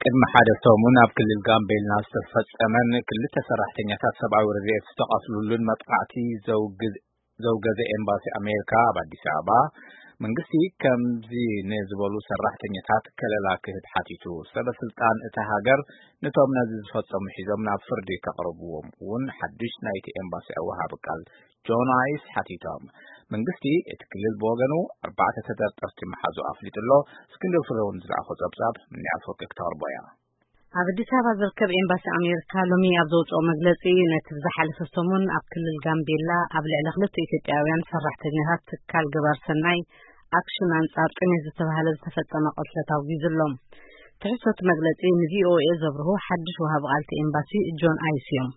ቅድሚ ሓደ ሰሙን ኣብ ክልል ጋምቤላ ዝተፈጸመን ክልተ ሰራሕተኛታት ሰብኣዊ ረድኤት ዝተቐትሉሉን መጥቃዕቲ ዘውግዝ-፣ ዘውገዘ ኤምባሲ ኣሜሪካ ኣብ ኣዲስ ኣበባ፣ መንግስቲ ከምዚ ንዝበሉ ሰራሕተኛታት ከለላ ክህብ ሓቲቱ። ሰበ ስልጣን እታ ሃገር ነቶም ነዚ ዝፈጸሙ ሒዞም ናብ ፍርዲ ከቕርብዎም እውን ሓድሽ ናይቲ ኤምባሲ ወሃቢ ቃል ጆን ኣይስ ሓቲቶም። መንግስቲ እቲ ክልል ብወገኑ ኣርባዕተ ተጠርጠርቲ መሓዙ ኣፍሊጡ ኣሎ። እስክንድር ፍሬውን ዝለኣኾ ጸብጻብ ምንያት ወርቂ ክተቕርቦ እያ። ኣብ ኣዲስ ኣበባ ዝርከብ ኤምባሲ ኣሜሪካ ሎሚ ኣብ ዘውፅኦ መግለፂ፣ ነቲ ብዝሓለፈ ሰሙን ኣብ ክልል ጋምቤላ ኣብ ልዕሊ ክልተ ኢትዮጵያውያን ሰራሕተኛታት ትካል ግበር ሰናይ ኣክሽን ኣንጻር ጥሜት ዝተባህለ ዝተፈጸመ ቅትለት ኣውጊዙ ኣሎ። ትሕዝቶ እቲ መግለጺ ንቪኦኤ ዘብርሁ ሓድሽ ወሃቢ ቃል እቲ ኤምባሲ ጆን ኣይስ እዮም።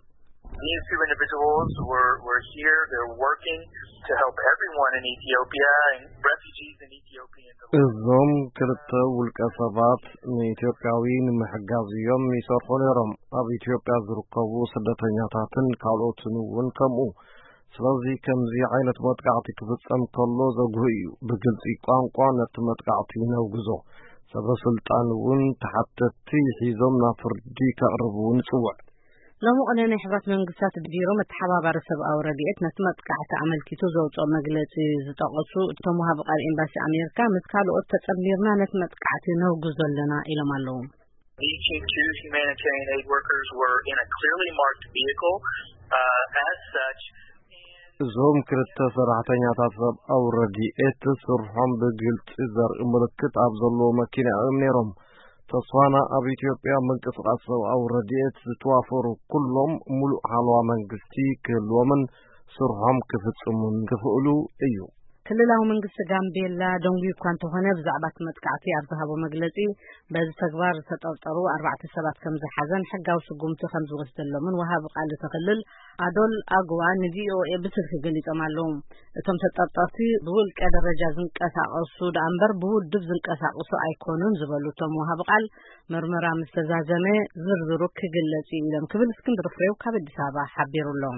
These two individuals were, were here. They're working to help everyone in Ethiopia, and refugees in Ethiopia. እዞም ክልተ ውልቀ ሰባት ንኢትዮጵያዊ ንምሕጋዝ እዮም ይሰርሑ ነይሮም። ኣብ ኢትዮጵያ ዝርከቡ ስደተኛታትን ካልኦትን እውን ከምኡ። ስለዚ ከምዚ ዓይነት መጥቃዕቲ ክፍጸም ከሎ ዘጉህ እዩ። ብግልጺ ቋንቋ ነቲ መጥቃዕቲ ነውግዞ። ሰበ ስልጣን እውን ተሓተትቲ ሒዞም ናብ ፍርዲ ከቕርቡ ንጽውዕ። ሎሚ ቅነ ናይ ሕብረት መንግስታት ቢሮ መተሓባባሪ ሰብኣዊ ረድኤት ነቲ መጥቃዕቲ ኣመልኪቱ ዘውፅኦ መግለፂ ዝጠቐሱ እቶም ወሃቢ ቃል ኤምባሲ ኣሜሪካ፣ ምስ ካልኦት ተፀምቢርና ነቲ መጥቃዕቲ ነውግዞ ኣለና ኢሎም ኣለዉ። These two humanitarian aid workers were in a clearly marked vehicle. Uh, as such, እዞም ክልተ ሰራሕተኛታት ሰብኣዊ ረድኤት ስርሖም ብግልፂ ዘርኢ ምልክት ኣብ ዘለዎ መኪና እዮም ነይሮም። ተስፋና ኣብ ኢትዮጵያ ምንቅስቓስ ሰብኣዊ ረድኤት ዝተዋፈሩ ኩሎም ሙሉእ ሓለዋ መንግስቲ ክህልዎምን ስርሖም ክፍጽሙን ክኽእሉ እዩ። ክልላዊ መንግስቲ ጋምቤላ ደንጉዩ እኳ እንተኾነ፣ ብዛዕባ እቲ መጥቃዕቲ ኣብ ዝሃቦ መግለጺ፣ በዚ ተግባር ዝተጠርጠሩ ኣርባዕተ ሰባት ከም ዝሓዘን ሕጋዊ ስጉምቲ ከም ዝወስደሎምን ወሃቢ ቃል እቲ ክልል ኣዶል ኣግዋ ንቪኦኤ ብስልኪ ገሊጾም ኣለዉ። እቶም ተጠርጠርቲ ብውልቀ ደረጃ ዝንቀሳቐሱ ደኣ እምበር ብውድብ ዝንቀሳቐሱ ኣይኮኑን ዝበሉ እቶም ወሃቢ ቃል፣ ምርመራ ምስ ተዛዘመ ዝርዝሩ ክግለጽ እዩ ኢሎም ክብል እስክንድር ፍሬው ካብ ኣዲስ ኣበባ ሓቢሩ ኣሎ።